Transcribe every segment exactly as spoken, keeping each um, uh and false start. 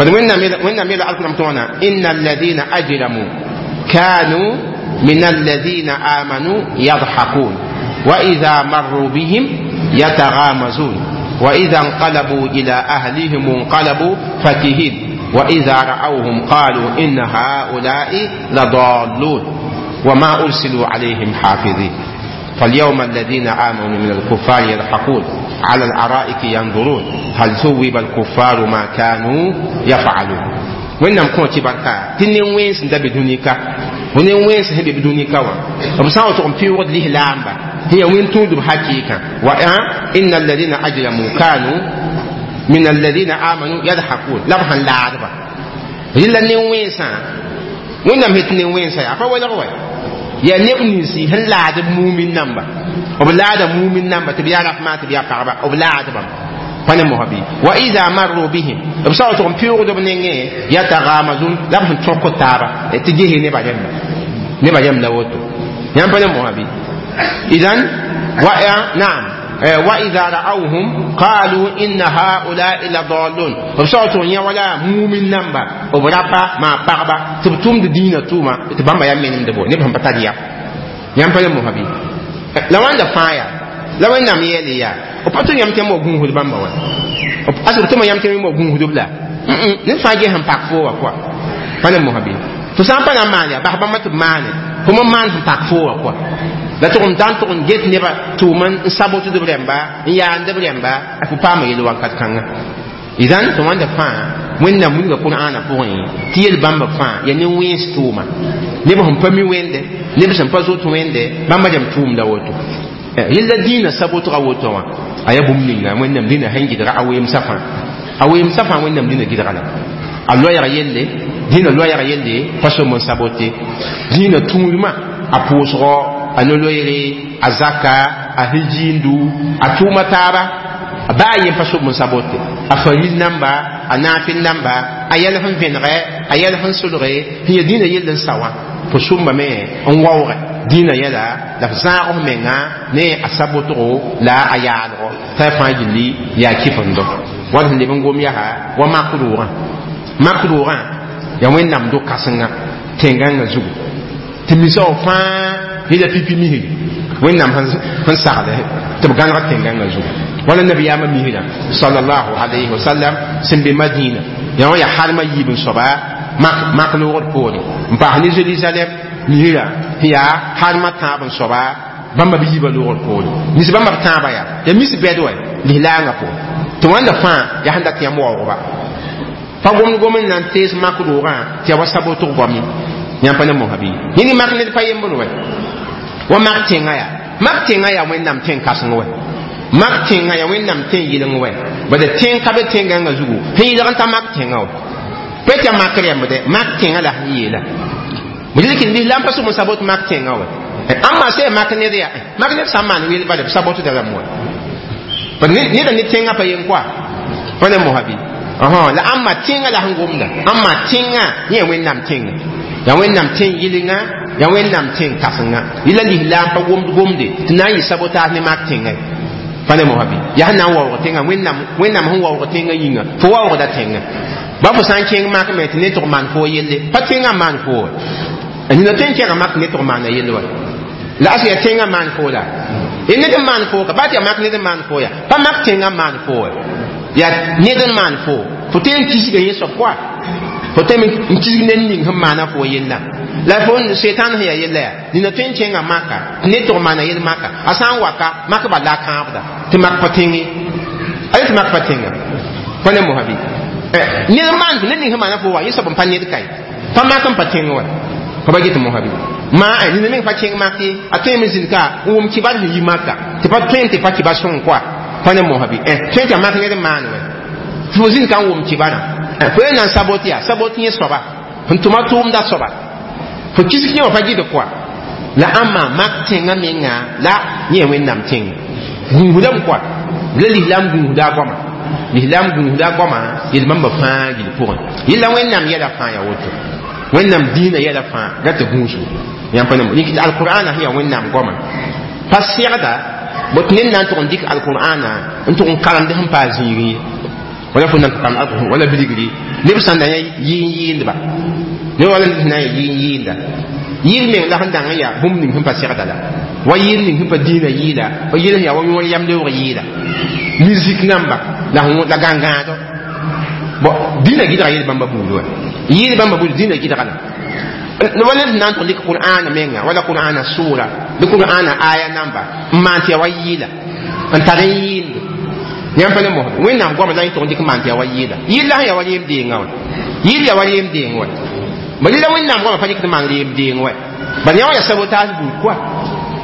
Bad wẽnnaam wẽnnaam yeela alkurãn tõogna inna alladina ajramu kanu min alladina amanu yadhakun wa ida marru bihim yatagamazun wa ida انقلبوا إلى أهلهم انقلبوا فكهين وإذا رأوهم قالوا إن هؤلاء لضالون وما أرسلوا عليهم حافظين فاليوم الذين آمنوا من الكفار يضحكون على الأرائك ينظرون هل ثوب الكفار ما كانوا يفعلون wẽnnaam kõ tɩ barka tɩ ne wẽns n da be dũni ka ne wẽns sẽn be dũni ka wã b sã n wa tʋg n pɩʋgd lislaamba tɩ yaa wẽn tũudb hakɩɩkã wa inna alladina ajramu kanu min alladina amanu yadhakun la b sẽn laadba rɩla ne wẽnsã wẽnnaam het ne wẽnsã yaa pa welg wa yaa neb ninsi sẽn laad b mumin namba b laada mumin namba tɩ b yaa rafmã tɩ b yaa pagba b laadbame pa ne mosã bɩ wa ida marru bihim b sã wa tʋg n pɩʋgd b nengẽ yatagamazun la b sẽn tõk taaba tɩ gese neba rẽmba neba rẽmb la woto yãmb pa ne mosã bɩ idan wa naam وإذا رأوهم قالوا إن هؤلاء لضالون b sã wa tʋg n yã wala mumin namba b rapa maa pagba tɩ b tʋmd dĩinã tʋʋma tɩ bãmba yaa menemd bo neb sẽn pa tar yam yãmb pa ne mosã bɩ la wãnda fãa yaa la wẽnnaam yeele yaa b pa tʋ yãmb tɩ yãmb wa gũusd bãmba wa as b tʋma yãmb tɩ yãmb wa gũusd b la ned fãa ges sẽn pak foo wã kɔa pa ne mosã bɩ fo sã n pa na n maan yaa bas bãmba tɩ b maane fo me maan sẽn pak foo wã kɔa la tʋg n da n tʋg n get neba tʋʋm n sabotd b rẽmba n yaand b rẽmba a fo paama yel wakat kãnga idan tɩ wãnda fãa wẽnnaam wilga qur'aana pʋgẽ tɩ yel bãmba fãa yaa ne wẽns tʋʋma neb sẽn pa mi wẽnde neb sẽn pa zoet wẽnde bãmba rẽmb tʋʋmda woto yella dĩinã sabotga woto wã a yaa bũmb ninga wẽnnaam dĩnã sẽn gɩdga a weemsã fãa a weemsã fãa wẽnnaam dĩnã gɩdga la a loɛɛg yelle dĩnã loɛɛg yelle pa som n sabote dĩinã tũudmã a pʋʋsgɔ a no-loeere a zaka a hijiindu a tʋʋma taaba a baa yen pa sob n sabote a faril namba a naafɩl namba a yɛl sẽn vẽnegɛ a yɛl sẽn solge sẽn ya dĩinã yell n sa wã fo sʋmbame n waoogɛ dĩinã yɛla la f zãag f menga ne a sabotgo la a yaalgɔ t'a fãa gilli yaa kɩfendo wad sẽn leb n gom yaa wa mak roogã mak roogã yaa wẽnnaam do-kãsenga tẽn-gãngã zugu tɩ misa wã fãa yela pipi misri wẽnnaam sẽn sagl tɩ b gãneg tẽn-gãngã zugu wala nabiyaamã misrã salallahu alayhi wasallam sẽn be madina yaa wã yaa harmã yiib n soaba mak loogd poore n paas ne jerusalem misrã sẽn yaa harmã tãab n soaba bãmba b yiibã loogd poore mis bãmba b tãabã yaa yaa mis bɛd wa lislaangã pʋgẽ tɩ wãnda fãa yaa sẽn dat yãmb waoogba pa gomd gom n na n tees mak roogã tɩ yaa wa sabotg goam ye yãmb pa ne mosã bɩ yẽni mak ned pa yembr wɛ wa mak tẽngã yaa mak tẽngã yaa wẽnnaam tẽn-kãseng wɛ mak tẽngã yaa wẽnnaam tẽn yɩleng wɛ bad tẽng ka be tẽn-gãngã zugu sẽn yɩlg n ta mak tẽngã wɛ pa tɩ mak rẽmbdɛ mak tẽngã la sẽn yeela b rɩk lislaam pa sʋm n sabot mak tẽngã wɛ ãmba sã mak ned yaa mak ned sã n maan weel bala b sabotda lame wɛ bad neda ne tẽngã pa yen koa pa ne mosã bɩ la ãmba tẽngã la sẽn gomda ãmba tẽngã yẽ wẽnnaam tẽnga yaa wẽnnaam tẽn yɩlenga yaa wẽnnaam tẽn kãsenga yɩla lislaam pa gomd gomde tɩ na n yɩ sabotage ne mak tẽngã pa ne mosã bɩ yaa sẽn na n waoog tẽngã wẽnnaam wẽnnaam sẽn waoog tẽngã yĩnga fo waoogda tẽngã ba fo sã n kẽng mak me tɩ ne tʋg maan fo yelle pa tẽngã maan fo wa nina tõe n kẽga mak ne tʋg maana yelle wa la as yaa tẽngã maan fo la ned n maan fo ka ba tɩ yaa mak ned n maan fo ya pa mak tẽngã maan fo wa yaa ned n maan fo fo tõe n kisga yẽ soab koa fo tõe n kisg ned ning sẽn maana fo yella la fo setan sẽn yaa yella yaa nina tõe n kẽnga maka tɩ ned tʋg maana yel maka a sã n waka mak bal la a kãabda tɩ mak pa tẽnge a tɩ mak pa tẽnga pa ne mosã bɩ ned n maan ned ning sẽn maana fo wa yẽ soab n pa ned kae pa mak n pa tẽng wa fa ba get mosã bɩ ma nina meng pa kẽng mak ye a tõe me zĩnd ka n wʋm kibar sẽn yi maka tɩ pa tõe tɩ pa kibar sõng koa pa ne mosã bɩ tõe tɩ a mak ned n maan wɛ fo zĩnd ka n wʋm kibarã fo ye na n sabot yaa sabot yẽ soaba sẽn tʋma tʋʋmda soaba fo kisg yẽ wã pa gɩd koa la ãmba mak tẽngã menga la yẽ wẽnnaam tẽnga gũusdame koa la lislaam gũusda a goama lislaam gũusda a goama yel bãmba fãa gill pʋgẽ yella wẽnnaam yɛla fãa yaa woto wẽnnaam dĩinã yɛla fãa ra tɩ gũusu yãmb pa ne alqur'ana sẽn yaa wẽnnaam goama pa segda bot ned na n tʋg n dɩk alqur'ana n tʋg n karemd sẽn paa zĩigẽ ye Wala fo nan kam wala bidigri neb sẽn na yɩ n yɩɩndba ne wala ned sẽn na n yɩ n yɩɩnda yɩɩl meng la sẽn dãng n yaa bũmb ning sẽn pa segda la wa yɩɩl ning sẽn pa dĩinã yɩɩla wa yɩɩl sẽn yaa wa yõor yam leoog yɩɩla musique namba la la gãngãado bon dĩinã gɩdga yel bãmba buud wa yɩɩl bãmba buud dĩinã gɩdga la wala ned na n tʋg dɩk qur'ana menga wala qur'ana sʋʋra bɩ qur'ana aya namba n maan tɩ ya wa yɩɩla n tar n yɩɩnd yãmb pa ne mosd wẽnnaam goama la yẽ tʋg n dɩk n maan tɩ ya wa yɩɩla yɩl la sẽn ya wa reem deengã wa yɩl ya wa reem deeng wa bala la wẽnnaam goama pa dɩk tɩ maan reem deeng wa bala yã wã ya sabotage buud kɔa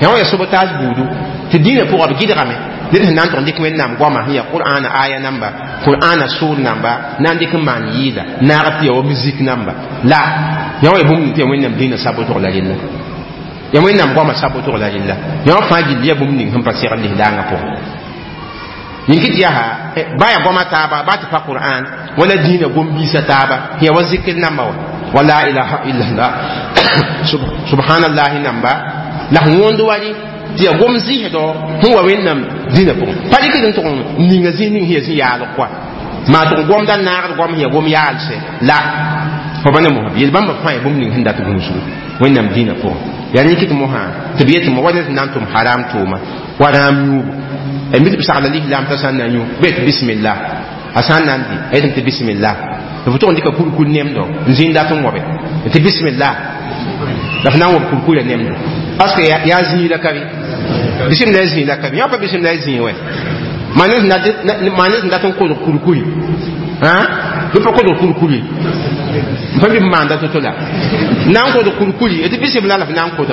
yã wã ya sabotage buudu tɩ dĩinã pʋgã b gɩdgame ned sẽn na n tʋg n dɩk wẽnnaam goama sẽn ya qur'ana aya namba qur'ana sʋʋr namba na n dɩk n maan yɩɩla naag tɩ ya wa musique namba la yã wã ya bũmb ning tɩ ya wẽnnaam dĩinã sabotg la rella ya wẽnnaam goama sabotg la rella yã wã fãa gill ya bũmb ning sẽn pa segl lislaangã pʋgẽ yĩn tɩ yaa ba ya goama taaba ba tɩ pa qur'an wala dĩinã gom-biisã taaba ya wa zikr namba wa wa la ilaha illallah subhanallahi namba la sẽn wõnd wali tɩ ya gom zɩsdɔ sẽn wa wẽnnaam dĩnã pʋgẽ pa dɩkd n tʋg n ninga zĩ ning sẽn ya zĩ yaalg koa maa tʋg gomda naagd goam sẽn ya gom yaalsɛ la fo pa ne mosã yel bãmba fãa ya bũmb ning sẽn dat gũusgu wẽnnaam dĩnã pʋgẽ yaa rẽ kɩt mosã tɩ b yetɩ mo wa ned sẽn na n tʋm haram tʋʋma wa rãam yũubu mi tɩ b sagla lislaam t'a sã n na yũ bɩ tɩ bismillah a sã n na n dɩ a yetɩm tɩ bismillah tɩ fo tʋg n dɩka kurkur nemdo n zĩnd dat n wobe tɩ bismillah la f na n wob kurkurã nemdo parce que yaa zĩig la ka bɩ bismillah zĩig la ka bɩ yã pa bismillah zĩig wɛ maa ned sẽn dat n kodg kurkuri bɩ pa kodg kurkuri n pa bɩ b maanda to-to la na n kodg kurkuri tɩ bismillah la f na n kodge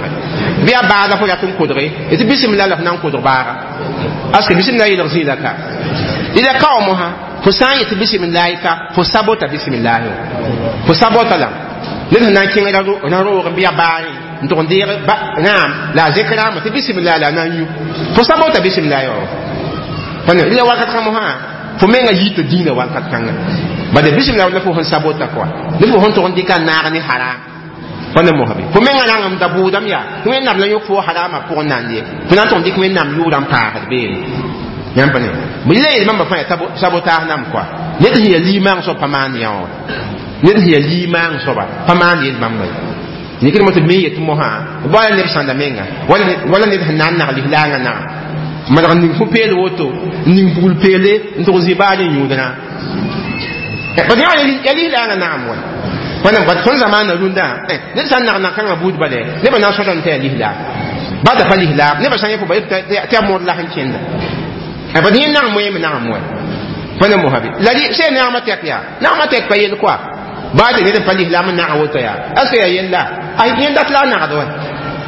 bɩ yaa baaga fo rat n kodge tɩ bismillah la f na n kodg baaga parce que bismillah yelg zĩig la ka ila kao mosã fo sã n yetɩ bismillahi ka fo sabota bismillahi fo sabota la ned sẽn na n kẽng ra roog n bɩ yaa baarẽ n tʋg n deeg naam la a zɩkrãambã tɩ bismillah la a na n yũ fo sabota bismillahi wa pa la wakat kã mosã fo menga yita dĩinã wakat kãnga bala bismillah la fo sẽn sabota koa ne fo sẽn tʋg n dɩka naag ne haram pa ne mosã be fo menga rãngem da bʋʋdame yaa wẽnnaam la yõk fo harama pʋgẽ na n ye fo na n tʋg n dɩk wẽnnaam yʋʋrã n paasd beene yãmb pa ne bɩ la yel bãmba fãa yaa sabotaas nam koa ned sẽn yaa limaang soab pa maan yã wã ned sẽn yaa limaang soaba pa maan yel bãmba ye nikd mo tɩ b me yetɩ mosã wala neb sãnda menga wala ned sẽn na n nag lislaangã naga malg n ning fo peel woto n ning pugl peele n tʋg zĩ baal n yũudrã bad yaa lislaangã nagam wa wãnam bat tõnd zamaana rũndã ned sã n nag nag-kãngã buud bale nebã na n sõdame tɩ yaa lislaam ba da pa lislaam nebã sã n yẽ fo ba tɩ yaa mod la sẽn kẽnda bad yẽ nagam wẽeme nagam wa pa ne mosã be la sẽn nagmã tɛk yaa nagmã tɛk pa yel koa baa tɩ ned n pa lislaam n nag woto yaa est ce que yaa yella a yẽ dat la a nagd wa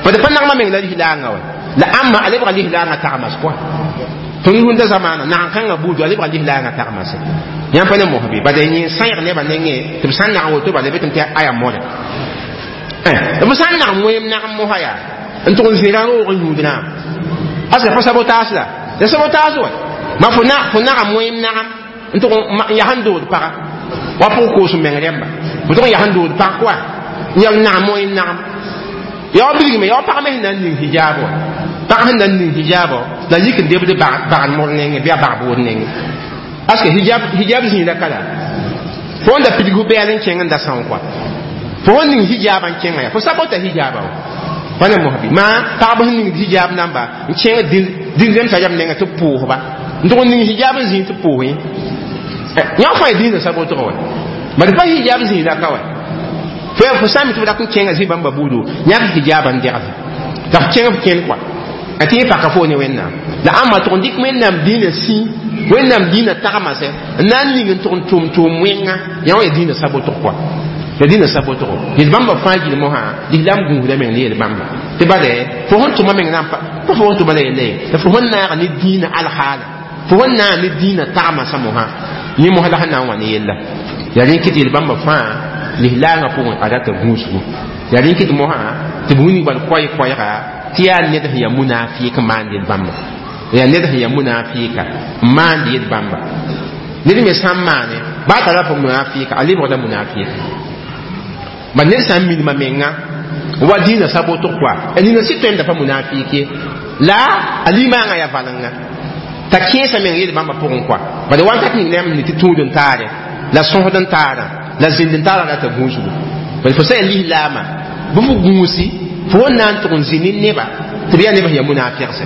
bad pa nagmã meng la lislaangã wa la ãmba a lebga lislaangã tagmas koa tõnd rũndã zamaana nag-kãngã buudu a lebga lislaangã tagmase yãmb pa ne mosã be bad yẽ sãyg nebã nengẽ tɩ b sã n nag woto bala betame tɩ a yaa moda b sã n nag wẽem nagem mosã yaa n tʋg n zĩ rã roog n yũudrã aska pa sabotaas la ya sabotaas wa ma fo nagam wẽem nagam n tʋg n yaa sẽn dood paga wa pʋg koos n meng rẽmba fo tʋg n yaa sẽn dood pag koa n yaa nagam wẽem nagam yaa wa bilgme yaa wa pag me sẽn na n ning hijaab wa pag sẽn na n ning hijaabã la yik n debd bagd mor nengẽ bɩ a bag bood nengẽ parce que hijab hijab zĩig la ka la fo n da pidg fo bɛɛl n kẽng n da são koa fo sẽn ning hijaabã n kẽngã yaa fo sabota hijaabã wa pa ne mosã bɩ maa pagb sẽn ning hijab namba n kẽng dĩn-zemsã yam nengã tɩ b pʋʋsba n tʋg n ning hijab n zĩig tɩ pʋʋs yã yã fãa ya dĩinã sabotg wa bad pa hijab zĩig la ka wa fo fo sã n mi tɩ b rat n kẽngã zĩ bãmba buudu yãk hijabã n degd la f kẽng f kẽnd koa a tɩ yẽ paka fo ne wẽnnaam la ãmba tʋg n dɩk wẽnnaam dĩinã sĩ wẽnnaam dĩinã tagmase n na n ning n tʋg n tʋm tʋʋm wẽnga yã wã ya dĩinã sabotg koa ya dĩinã sabotgo yel bãmba fãa gil mosã lislaam gũusda meng ne yel bãmba tɩ bade fo sẽn tʋma meng na n pa fo sẽn tʋma la yella ye la fo sẽn naag ne dĩinã alhaala fo sẽn naag ne dĩinã tagmasã mosã yẽ mosã la sẽn na n wa ne yella yaa rẽ kɩt yel bãmba fãa lislaangã pʋgẽ a rata gũusgu yaa rẽ kɩt mosã tɩ b wilg bal koɛɛ-koɛɛga tɩ yaa ned sẽn yaa munafɩɩk n maand yel bãmba yaa ned sẽn yaa munafɩɩka n maand yel bãmba ned me sã n maane baa tara fo munafɩɩka a lebgda munafɩɩka ba ned sã n minima menga wa dĩinã sabotg koa a nina sɩd tõe n da pa munafɩɩk ye la a limaangã yaa valenga t'a kẽesã meng yel bãmba pʋgẽ kɔa bala wakat ning la yãmb ne tɩ tũud n taare la sõsd n taarã la zĩnd n taarã rata gũusgu bala fo sã yaa lislaamã bɩ fo gũusi fo wẽn na n tʋg n zĩ ne neba tɩ b yaa neb sẽn yaa munafɩgse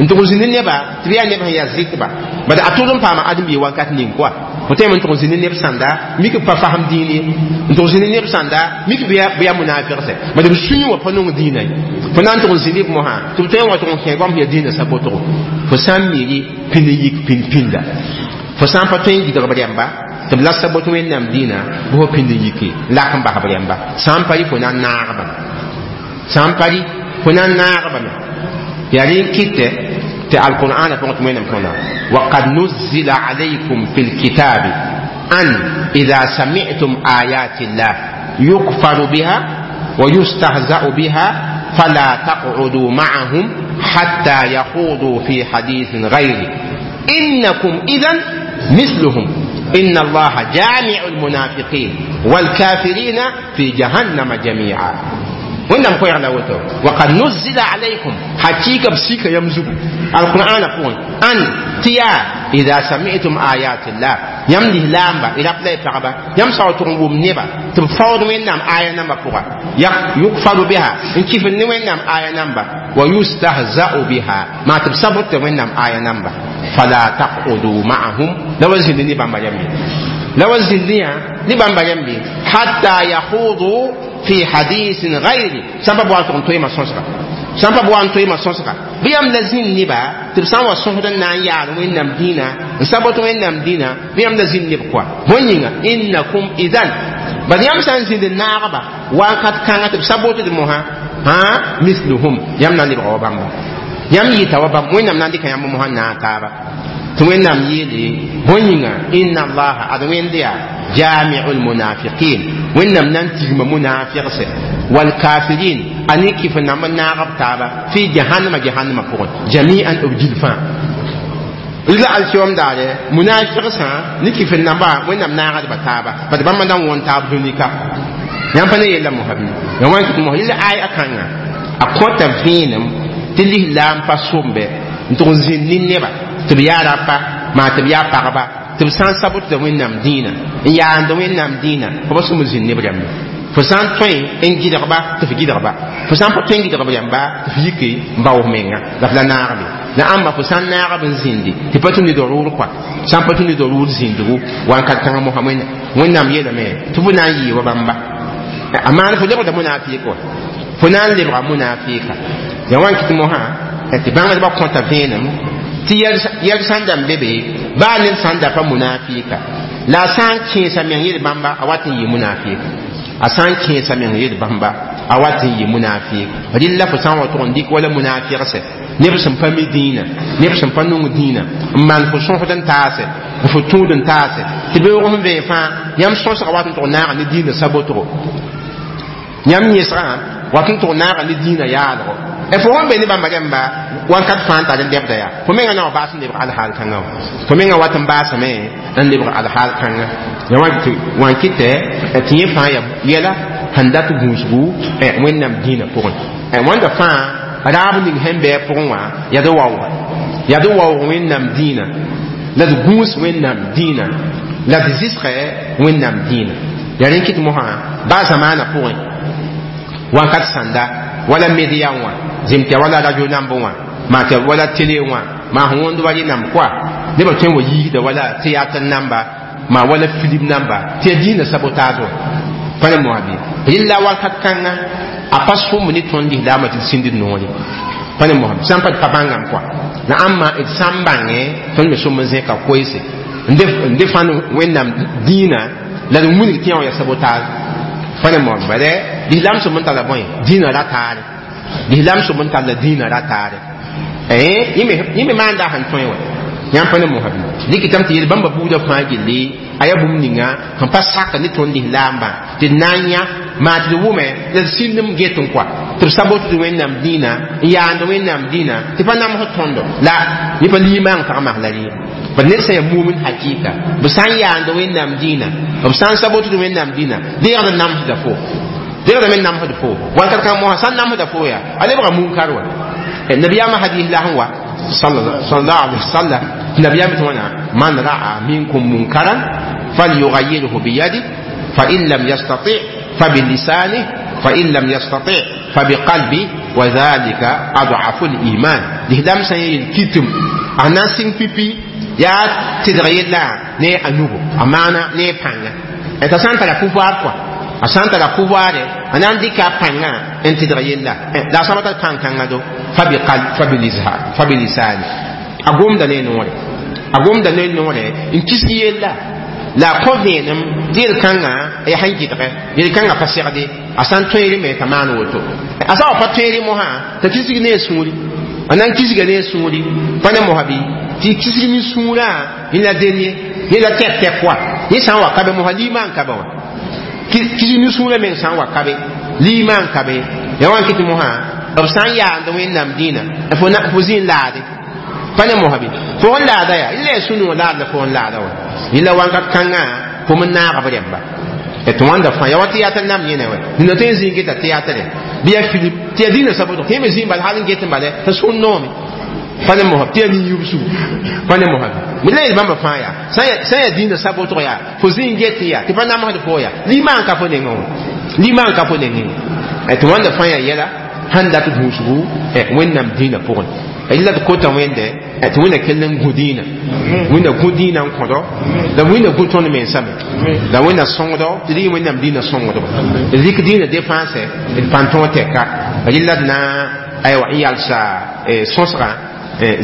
n tʋg n zĩ ne neba tɩ b yaa neb sẽn yaa zɩtba bala a tʋd n paama ãdem-biig wakat ning kɔa fo tõeme n tʋg n zĩ ne neb sãnda mik b pa fasem dĩin ye n tʋg n zĩ ne neb sãnda mik b yaa munafɩgse bala b sũyẽ wã pa nong dĩinã ye fo na n tʋg n zĩ neb mosã tɩ b tõe n wa tʋg n kẽ goam sẽn yaa dĩinã sabotgo fo sã n miri pĩnd n yik pĩnd pĩnda fo sã n pa tõe n gɩdg b rẽmba tɩ b la sabot wẽnnaam dĩinã bɩ fo pĩnd n yike lak n bas b rẽmba sã n pa rɩ fo na n naag bame sã n pa rɩ fo na n naag bame yaa rẽ n kɩtɛ tɩ alqur'ana pʋgẽ tɩ wẽnnaam tõna وقد نزل عليكم في الكتاب أن إذا سمعتم آيات الله يكفر بها ويستهزأ بها فلا تقعدوا معهم حتى يخوضوا في حديث غيره إنكم إذا مثلهم إن الله جامع المنافقين والكافرين في جهنم جميعا wẽnnaam koɛɛg la woto وقد نزل عليكم حقيقة b sika yam zugu القرآن pʋgẽ أن tɩ yaa إذا سمعتم آيات الله yãmb lislaamba y rap la y pagba yãmb sao tʋg n wʋm neba tɩ b faood wẽnnaam aya nambã pʋga يكفر بها n kifd ne wẽnnaam aya namba ويستهزأ بها maa tɩ b sabot wẽnnaam aya namba فلا تقعدوا معهم la wa zĩnd ne bãmba rãmbe la wa zĩnd yã ne bãmba rãmbe حتى يخوضوا في حديث غيره sãn pa wa tʋg n toeema sõsga sãn pa wa n toeema sõsga bɩ yãmb la zĩnd neba tɩ b sã n wa sõsd n na n yaal wẽnnaam dĩinã n sabot wẽnnaam dĩinã bɩ yãmb la zĩnd neb kɔa bõe yĩnga إنكم إذن bad yãmb sã n zĩnd n naagba wakat kãngã tɩ b sabotd mosã hã مثلهم yãmb na n lebga wa bãmba yãmb yɩta wa bãmb wẽnnaam na n dɩka yãmb mosã n naag taaba tɩ wẽnnaam yeele bõe yĩnga إن الله ad wẽnd yaa جامع المنافقين wẽnnaam na n tigma munafɩgse والكافرين a ne kɩf n namb n naag b taaba في جهنم jahannama pʋgẽ جميعا b gil fãa la alkiyom daare munafigsã ne kɩf n namba wẽnnaam naagdba taaba bad bãmba na n wõn taab dũni-ka yãmb pa ne yella mosa bɩ ya wãn kɩt mos yella ay a kãnga a kõta vẽenem tɩ lislaam pa sombe n tʋg n zĩnd ne neba tɩ b yaa rapa maa tɩ b yaa pagba tɩ b sã n sabotda wẽnnaam dĩinã n yaand wẽnnaam dĩinã fo pa sũm zĩnd neb rãmbe fo sã n tõe n gɩdgba tɩ f gɩdgba fo sã n pa tõe n gɩdg b rãmba tɩ f yike n baoos menga la f la naagbe la ãmba fo sã n naagb n zĩndi tɩ pa tũ ne dorʋʋr kɔa sã n pa tũ ne dorʋʋr zĩndgu wakat kãngã mosã wẽnnaam yeelame tɩ fo na n yɩɩ wa bãmba a maan fo lebgda munafɩɩk wa fo na n lebga munafɩɩka ya wãn kɩt mosã tɩ bãngdbã kõta vẽenem tɩ yɛl sã n da n be be baa ned sã n da pa munafɩɩka la a sã n kẽesa meng yel bãmba a wat n yɩ munafɩɩka a sã n kẽesa meng yel bãmba a wat n yɩ munafɩɩk rɩlla fo sã n wa tʋg n dɩk wala munafɩgse neb sẽn pa mi dĩinã neb sẽn pa nong dĩinã n maan fo sõsd n taase n fo tũud n taase tɩ beoog sẽn vẽe fãa yãmb sõsga wat n tʋg naaga ne dĩinã sabotgo yãmb yẽsgã wat n tʋg naaga ne dĩinã yaalgo fo sẽn be ne bãmba rãmba wakat fãa n tar n lebda yaa fo menga na wa baas n lebg alhaal kãngã wã fo menga wat n baasame n lebg alhaal kãngã ya wã kɩtɛ tɩ yẽ fãa ya yɛla sẽn dat gũusgu wẽnnaam dĩinã pʋgẽ wãnda fãa raab ning sẽn bɩ a pʋgẽ wã yaa d waooga yaa d waoog wẽnnaam dĩinã la d gũus wẽnnaam dĩinã la d zɩsgɛ wẽnnaam dĩinã yaa rẽ kɩt mosã baa zamaanã pʋgẽ wakat sãnda wala media wã zem tɩ wala radio namb wã maa tɩ wala télé wã maa sẽn wõnd wa rẽnam koa nebã tõe n wa yiisda wala théâtre namba maa wala film namba tɩ ya dĩinã sabotage wã pa ne moa bɩ rɩlla wakat kãnga a pa sʋmb ne tõnd lislaamã tɩ d sĩnd d noore pa ne moa sã n pa d pa bãngame koa la ãmba d sã n bãngẽ tõnd me sõm n zẽka koeese n de fãn wẽnnaam dĩinã la d wilg tɩ yã wã ya sabotage pa ne moa bala lislaam sõm n tara bõe dĩinã ra taare lislaam sõm n tara dĩinã ra taare yẽ me maanda sẽn tõe wã yãmb pa ne mosã bɩ dɩkɩtame tɩ yel bãmba buudã fãa gilli a yaa bũmb ninga sẽn pa sak ne tõnd lislaambã tɩ d na n yã maa tɩ d wʋme la d sĩndem get n koa tɩ b sabot tɩ wẽnnaam dĩinã n yaand wẽnnaam dĩinã tɩ pa namsd tõndo la yẽ pa limaang tagmas la rẽ bad ned sã yaa mumin hakɩɩka b sã n yaand wẽnnaam dĩinã b sã n sabotd wẽnnaam dĩinã deegd namsda fo deegda me namsd fo wakat kãng mosã sã n namsda fo yaa a lebga munkar wa nabiyaamã hadis la sẽn wa Sallallahu alaihi wasallam nabiyaam tɩ wãna man ra'a minkum munkaran falyughayyirhu biyadi fa in lam yastati fabilisanih fa in lam yastati fabiqalbi wa dhalika ad'afu liman lislaam sã n yeel kitim a na n sɩng pipi yaa tɩdg yella ne a nugo a maana ne pãnga t'a sã n tara pouvoir kɔa a sã n tara pouvoir a na n dɩka a pãngã n tɩdg yella la a sã pa tar pãn-kãngã do fabilisani a gomda ne noore a gomda ne noore n kisg yella la a kõ vẽenem tɩ yel-kãngã yaa sẽn gɩdgɛ yel-kãngã pa segde a sã n tõeere me t'a maan woto a sã wa pa tõeere mosã t'a kisg ne a sũuri a na n kisga ne a sũuri pa ne mosã bɩ tɩ kisg ne sũurã yẽla deen ye yẽla tɛk-tɛk wa yẽ sã n wa ka be mosã liimã n ka be wã kisg ne sũurã meng sã n wa ka be liimã n ka be ya wa n kɩ tɩ mosã b sã n yaand wẽnnaam dĩinã fo zĩ n laade pa ne mosã bɩ fo n laada yaa yẽla yaa sũ-noog laad la fo n laada wa yẽla wãnkat kãngã fo me naag b rẽmba tɩ wãnda fãa ya wa tɩ nam yẽne wɛ nina tõe n zĩ n geta tɩyaatre bɩ yaa filip tɩ yaa dĩinã sabʋtg tɩ yẽ me zĩ bala hal n get n bala t'a sũur noome pa ne mosã tɩ yaa nin-yubsugu pa ne mosã bɩ la yel bãmba fãa yaa sã yaa dĩinã sabʋtg yaa fo zĩ n get yaa tɩ pa namsd fo yaa liimã n ka fo nengẽ wã liimã n ka fo nengẽ tɩ wãnda fãa yaa yɛla sẽn dat gũusgu wẽnnaam dĩinã pʋgẽ la d kota wẽnde tɩ wẽnna kell n gũ dĩinã wẽnna gũ dĩinã n kõdo la wẽnna gũ tõnd mensame la wẽnna sõngdo tɩ d yɩ wẽnnaam dĩinã sõngdba d rɩk dĩinã défense d pãn tõog tɛka rɩla d na aywa n yalsa sõsgã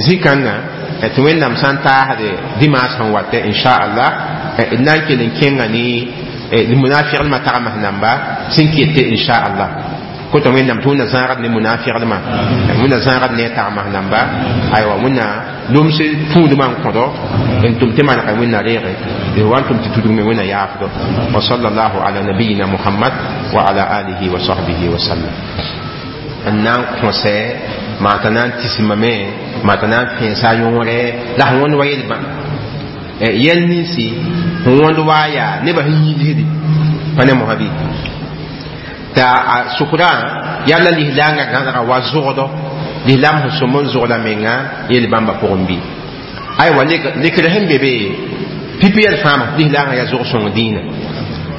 zĩ-kãngã tɩ wẽnnaam sã n taasde dimaas sẽn watɛ inchallah d na n kell n kẽnga ne munafiqdmã tagms namba sẽn kete inchallah kota wẽnnaam tɩ wẽnna zãagd ne munafiqdmã wẽnna zãagd ne a tagms namba aywa wẽnna loms tũudmã n kõdo n tʋm tɩ manega wẽnna reege d wa n tʋm tɩ tudg me wẽnna yaafdo wa sallallahu ala nabiyina muhammad wa ala alihi wa sahbihi wa sallam n na n kõsɛ maa t'a na n tismame maa t'a na n fẽesa a yõore la sẽn wõnd wa yel-bã yɛl ninsi sẽn wõnd waa yaa nebã sẽn yĩlsdi pa ne mosã bɩ t'a a sʋkrã yaa la lislaangã gãdga wa zogdɔ lislaam sẽn sõm n zogda menga yel-bãmba pʋgẽ bɩ aywa lekr sẽn be be pipi yɛl fãama lislaangã yaa zog-sõng dĩinã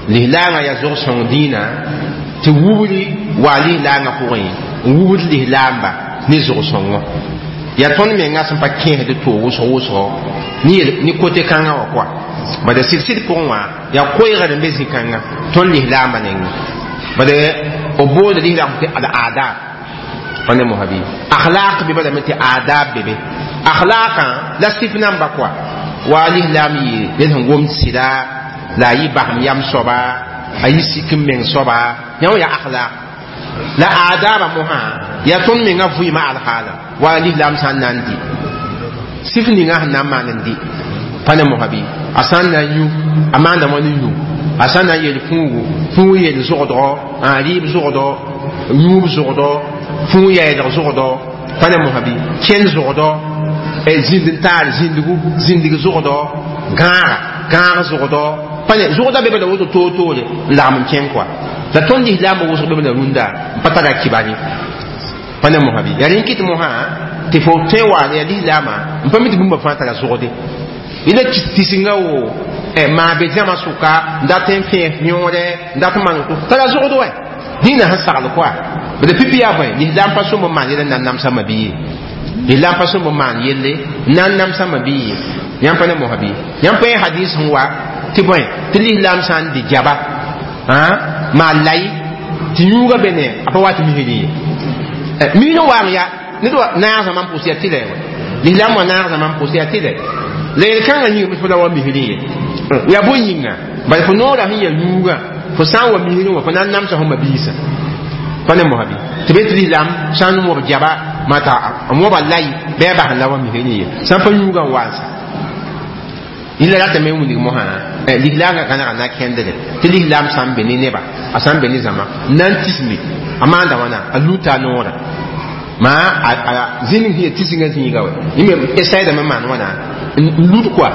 lislaangã yaa zog-sõng dĩinã tɩ wubri wa lislaangã pʋgẽ n wubd lislaamba ne zog-sõngɔ yaa tõnd menga sẽn pa kẽesd to wʋsg wʋsgo ne kote kãngã wã kɔa bala sɩd-sɩd pʋgẽ wã yaa koeegr n be zĩ-kãngã tõnd lislaambã nengẽ bala b boonda lislaam tɩ al adab pa ne mosã bɩ akhlaq be balame tɩ adab be be akhlaqã la sɩf namba kɔa wa lislaam yɩ ned sẽn gomd sɩda la a yɩ basem yam soaba a yɩ sik n meng soaba yã wã yaa akhlaq la adaba mosã yaa tõnd menga vɩɩmã alhaala wa lislaam sã n na n dɩ sɩf ninga sẽn na n maan n dɩ pa ne mosã bɩ a sã n na n yũ a maanda wã ne yũ a sã n na n yel fũugu fũug yel zogdgo a rɩɩb zogdɔ yũub zogdɔ fũug yɛɛdg zogdɔ pa ne mosã bɩ kẽnd zogdɔ zĩnd n taar zĩndgu zĩndg zogdɔ gãaga gãag zogdɔ pa ne zogdã be bala woto toor-toore n lagm n kẽng kɔa la tõnd lislaambã wʋsg be bala rũndã n pa tara kibar ye pa ne mosã bɩ yaa rẽn kɩt mosã tɩ fo tõe n wa yaa lislaamã n pa mi tɩ bũmba fãa tara zogde yẽla tisinga wo maa be zãma sʋka n dat n fẽes yõore n dat n maan tara zogd wɛ dĩinã sẽn sagl kɔa bala pipi yaa bõe lislaam pa sõm n maan yɛl n na n namsa mabi ye lislaam pa sõm n maan yelle n na n namsa mabi ye yãmb pa ne mosã bɩ yãmb pa yẽ hadis sẽn wa tɩ bõe tɩ lislaam sã n dɩ jaba maan lay tɩ yũuga be ne a pa wa tɩ misrẽ ye misrẽ waang ya ned wa naag zãma n pʋs yaa tɩlɛ wa lislaam wa naag zãma n pʋs yaa tɩlɛ la yel-kãngã yĩnga fo la wa misrẽ ye yaa bõe yĩnga bala fo noorã sẽn yaa yũugã fo sã n wa misrẽ wã fo na n namsa fo mabiisã pa ne mosã bɩ tɩ be tɩ lislaam sã n mob jaba mata a moba lay bɩ a bas n la wa misrẽ ye sã n pa yũugã n wa n sa yẽla ratame n wilg mosã lislaangã gãnega na kẽndre tɩ lislaam sã n be ne neba a sã n be ne zãma n na n tisme a maanda wãna a luta a noorã ma a zĩnig sẽn ya tisingã zĩiga wɛ yẽ me esaydame maan wãna n lut kɔa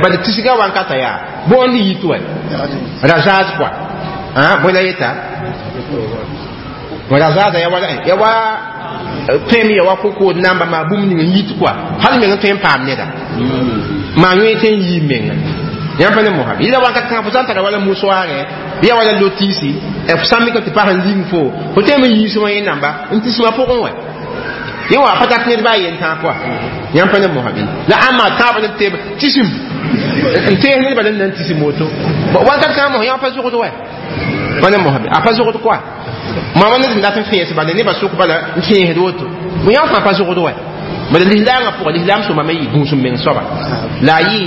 bala tisgã wankata yaa bõond yit wɛ razaaz kɔa bõe la yeta razaazã ya wa ya wa tõe ya wa kokood namba maa bũmb ning n yit kɔa hal meng n tõe n paam neda maa yõe tɩ n yii menga yãmb pa ne mosã yɩla wakat kãngã fo sã n tara wala musoaarẽ bɩ ya wala lotiisi f sã n mikame tɩ pas n ling fo fo tõeme n yiis wã yẽ namba n tismã pʋgẽ wɛ yẽ wa pa tat ned baa yen tãag kɔa yãmb pa ne mosã bɩ la ãmba tãabã ne teb tisim n tees nedbã la n na n tisim woto wakat kãngã mos yã pa zʋgd wɛ pa ne mosã bɩ a pa zʋgd kɔa mama ned n dat n fẽes bala nebã sʋk bala n fẽesd woto bõ yã fãa pa zʋgd wɛ bala lislaamã pʋgã lislaam sõma me yɩ gũus n meng soaba la a yɩ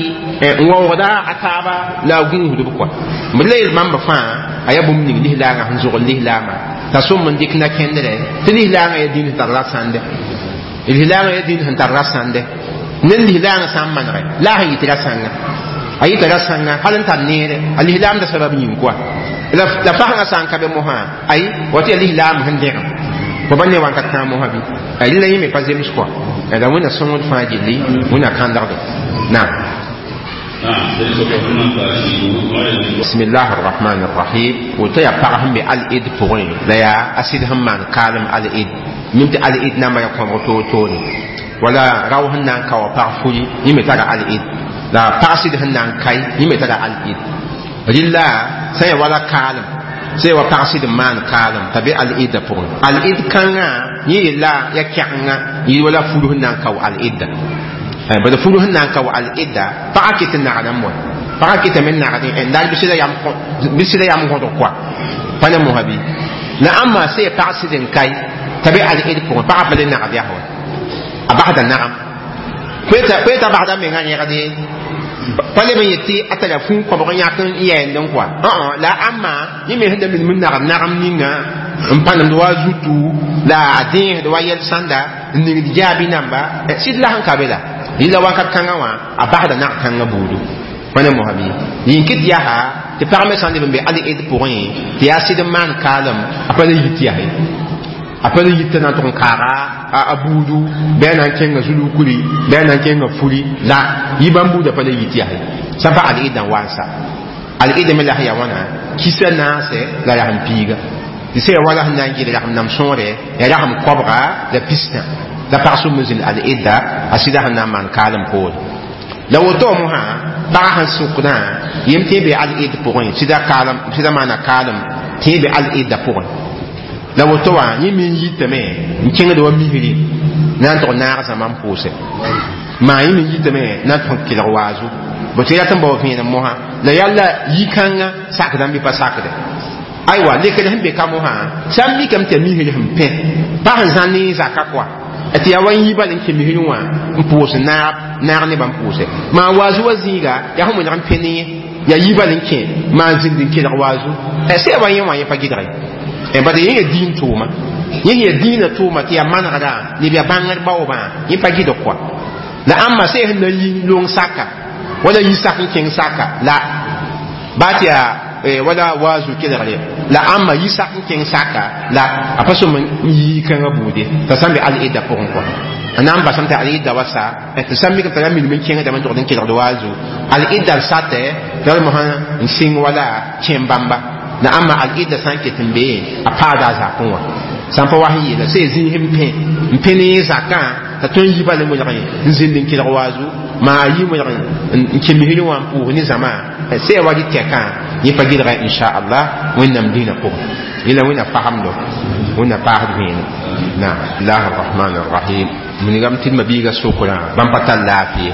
n waoogda a taaba la a gũusdb kɔa b la yel bãmba fãa a yaa bũmb ning lislaangã sẽn zʋgl lislaamã t'a sõm n dɩk na-kẽndrɛ tɩ lislaangã yaa dĩnd sẽn tar rasãnde lislaangã yaa dĩnd sẽn tar rasãnde ned lislaangã sã n manegɛ la a sẽn yɩ tɩ rasãngã a yɩta rasãngã hal n tar neere a lislaamda sabab yĩng kɔa la fasẽngã sã n ka be mosã ay wa tɩ yaa lislaam sẽn dẽgem fo ba ne wakat kãa mosã bɩ la yẽ me pa zems kɔa la wẽnna sõngd fãa gilli wẽnna kãndgdo naam. بسم الله الرحمن الرحيم. وتيا pag sẽn be al-id pʋgẽ la yaa a sɩd sẽn maan kaalem al-id mim tɩ al-id namba ya kõbg toor-toore wala rao sẽn na n ka wa pag furi yẽ me tara al-id la pag sɩd sẽn na n kae yẽ me tara al-id rɩlla sã n ya wala kaalem sã ya wa pag sɩd n maan kaalem t'a be al-idda pʋgẽ al-id kãngã yẽ yella ya kɛgenga yɩ wala furu sẽn na n kao al-idda bala furu sẽn na n kao al-idda pagã ket n nagdame wa pagã ketame n nagdẽ n bɩ sɩda yam gõdg koa pa ne mosã bɩ la ãmba sã ya pag sɩd n kae t'a be al-id pʋgẽ pagã pa le nagd yaa wa a basda nagam koe t'a basda mengã yẽgde pa leb n yet tɩ a tara fũu kõbg n yãk n yɛɛndẽ kɔa la ãmba yẽ me sẽn da minim n nagd nagam ninga n pãnemd wa zutu la a dẽesd wa yɛl sãnda n ningd jaabi namba sɩd la sẽn ka be la yɩla wakat kãngã wã a basda nag kãngã buudu pa ne mosã bɩ yĩn kɩt yaa tɩ pag me sã n leb n be al-id pʋgẽ tɩ yaa sɩd n maan kaalem a pa le yit yaa ye a pa le yit t'a na n tʋg n kaaga a buudu bɩ a na n kẽnga zulukuri bɩ a na n kẽnga furi la yɩ bãmb buudã pa le yit yaa ye sã n pa al-idã wa n sa al-idã me la sẽn yaa wãna kisa naasɛ la rasem piiga tɩ sã ya wala sẽn na n gɩl rasem nam sõore ya rasem koabga la pistã la pag sʋm n zĩnd al-idda a sɩda sẽn na n maan kaalem poore la woto mosã pagã sẽn sʋkdã yem tɩ be al-id pʋgẽ sɩda kaalem sɩda maana kaalem tɩ be al-idda pʋgẽ la woto wã yẽ me n yitame n kẽngd wa misri na n tʋg naag zãma n pʋʋse maa yẽ me n yitame na n tʋg n kelg waazu bo tɩ rat n bao vẽenem mosã la yalla yi-kãngã sakdã n bɩ pa sakde aywa lekd sẽn be ka mosã sã n mikame tɩ ya misri sẽn pẽ pa sẽn zã ne zaka kɔa tɩ yaa wa n yi bal n kẽ misri wã n pʋʋs naab naag nebã n pʋʋse maa waazu wa zĩiga yaa sẽn wẽneg n pẽ ne yẽ yaa yi bal n kẽ maa n zĩnd n kelg waazu sã ya wa yẽ wã yẽ pa gɩdge bala yẽ ya diin tʋʋma yẽ ya diinã tʋʋma tɩ yaa manegda neb yaa bãngr baoobã yẽ pa gɩdg kɔa la ãmba sã sẽn na n yi long saka wala yi sak n kẽng saka la baa tɩ yaa wala waazu kelgre la ãmba yi sak n kẽng saka la a pa sõm n yii kãngã buude t'a sã n be al-idda pʋgẽ kɔa a na n basame tɩ al-idda wa sa tɩ sã n mikame t'a na minim n kẽngdame n tʋgd n kelgd waazu al-idda satɛ tɩ mosã n sɩng wala kẽem bãmba la ãmba al-idda sã n ket n bee a paada a zakẽ wã sã n pa wa sẽn yeela sã ya zĩis n pẽ n pẽ ne zakã t'a tõe n yi bal n welg n zĩnd n kelg waazu maa a yi welg n kẽ misri wã n pʋʋs ne zãma sã ya wa rɩ tɛkã yẽ pa gɩdga inchallah wẽnnaam dĩinã pʋgẽ yẽla wẽnna fasemdo wẽnna paasd vẽenem naam lah arrahman arrahim minigame tɩ d mabiiga sokrã bãmb pa tar laafɩ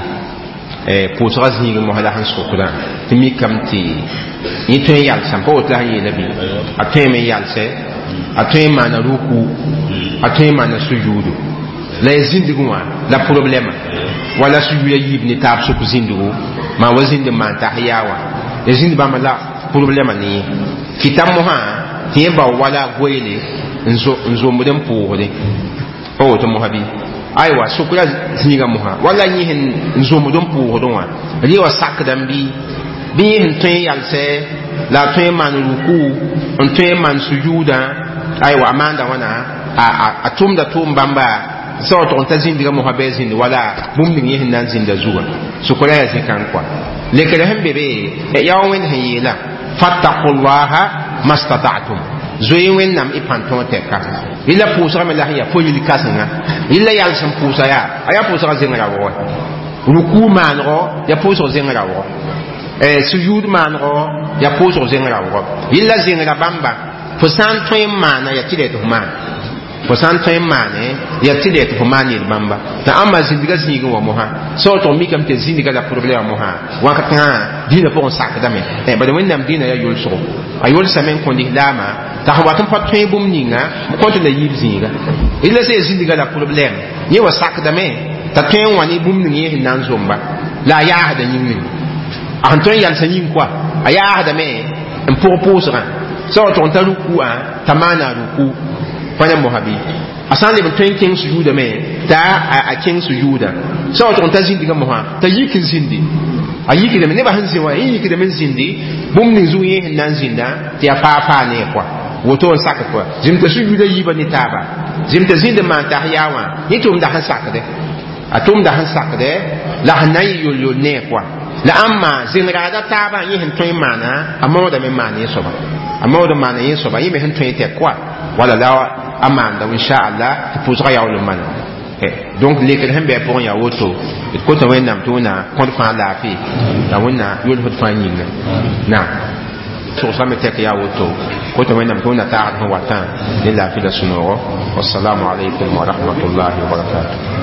pʋʋsgã zĩig mosã la sẽn sokdã tɩ mikame tɩ yẽ tõe n yalsame pa woto la sẽn yeela bɩ a tõeme n yalsɛ a tõe n maana ruku a tõe n maana sujuudu la ya zĩndg wã la problɛma wala sujuuda yiib ne taab sʋk zĩndgo maa wa zĩnd n maan tas yaa wã ya zĩnd bãmba la problɛma ne yẽ kɩta mosã tɩ yẽ bao wala goeele n zomd n pʋʋsde pa woto mosã bɩ aywa sʋkra zĩiga mosã wala yẽ sẽn n zomd n pʋʋsdẽ wã rɩ wa sakdame bɩ bɩ yẽ sẽn tõe n yalsɛ la a tõe n maan ruku n tõe n maan sujuudã aywa a maanda wãna a tʋmda tʋʋm bãmba sã wa tʋg n ta zĩndgã mosã bɩ a zĩnd wala bũmb ning yẽ sẽn na n zĩnda zugã sʋkra yaa zĩ-kãng kɔa lekr sẽn be be yaa wa wẽnd sẽn yeela fattaqullaha mastata'tum Zoe wẽnnaam y pãn tõog tɛka yella pʋʋsgame la sẽn yaa fo yil kãsenga yella yals n pʋʋsa yaa a yaa pʋʋsga zẽng raoogɛ ruku maanego yaa pʋʋsg zẽng raoogɔ sujud maanego yaa pʋʋsg zẽng raoogɔ yella zẽngra bãmba fo sã n tõe n maana yaa tɩ tɩ fo maan fo sã n tõe n maane yaa tɩ tɩ fo maan yel bãmba t'a ãmba zĩndga zĩigẽ wã mosã sã tʋg mikame tɩ zĩndga la problɛma mosã wãkat kãngã dĩinã pʋgẽ sakdame bala wẽnnaam dĩinã yaa yolsgo a yolsame n kõ lislaamã t'a sẽn wat n pa tõe bũmb ninga b kõt la yiib zĩiga la sã zĩndga la problɛm yẽ wa sakdame t'a tõe n wã ne bũmb ning yẽ sẽn na n zomba la a yaasda yĩngre a sẽn tõe n yalsã yĩng koa a yaasdame n pʋg pʋʋsgã sã wa tʋg n ta rukuã t'a maana ruku pa ne mosa bɩ a sã n leb n tõe n kẽng sujuudame t'a a kẽng sujuuda sã wa tʋg n ta zĩndgã mosã t'a yik n zĩndi a yikdame nebã sẽn zĩ wã yẽ yikdame n zĩndi bũmb ning zug yẽ sẽn na n zĩnda tɩ yaa faa faa ne koa woto n sak koa zĩm t'a sujuuda yiibã ne taaba zĩm t'a zĩnd n maan tas yaa wã yẽ tʋmda sẽn sakdɛ a tʋmda sẽn sakdɛ la sẽn na n yɩ yol-yol ne koa la ãmma zẽngraada taabã yẽ sẽn tõe n maana a maoodame n maan yẽ soaba a maood n maana yẽ soaba yẽ me sẽn tõe tɛk koa wala la a maanda inshaallah tɩ pʋʋsgã yaool n mana donc lekr sẽn bɩ a pʋgẽ yaa woto d kota wẽnnaam tɩ wẽnna kõd fãa laafɩ la wẽnna yolsd fãa yĩnga na sogsame tɛk yaa woto kota wẽnnaam tɩ wẽnna taagd sẽn watã ne laafɩ la sũ-noogo wassalamu alaikum wa rahmatullahi wa barakatuh.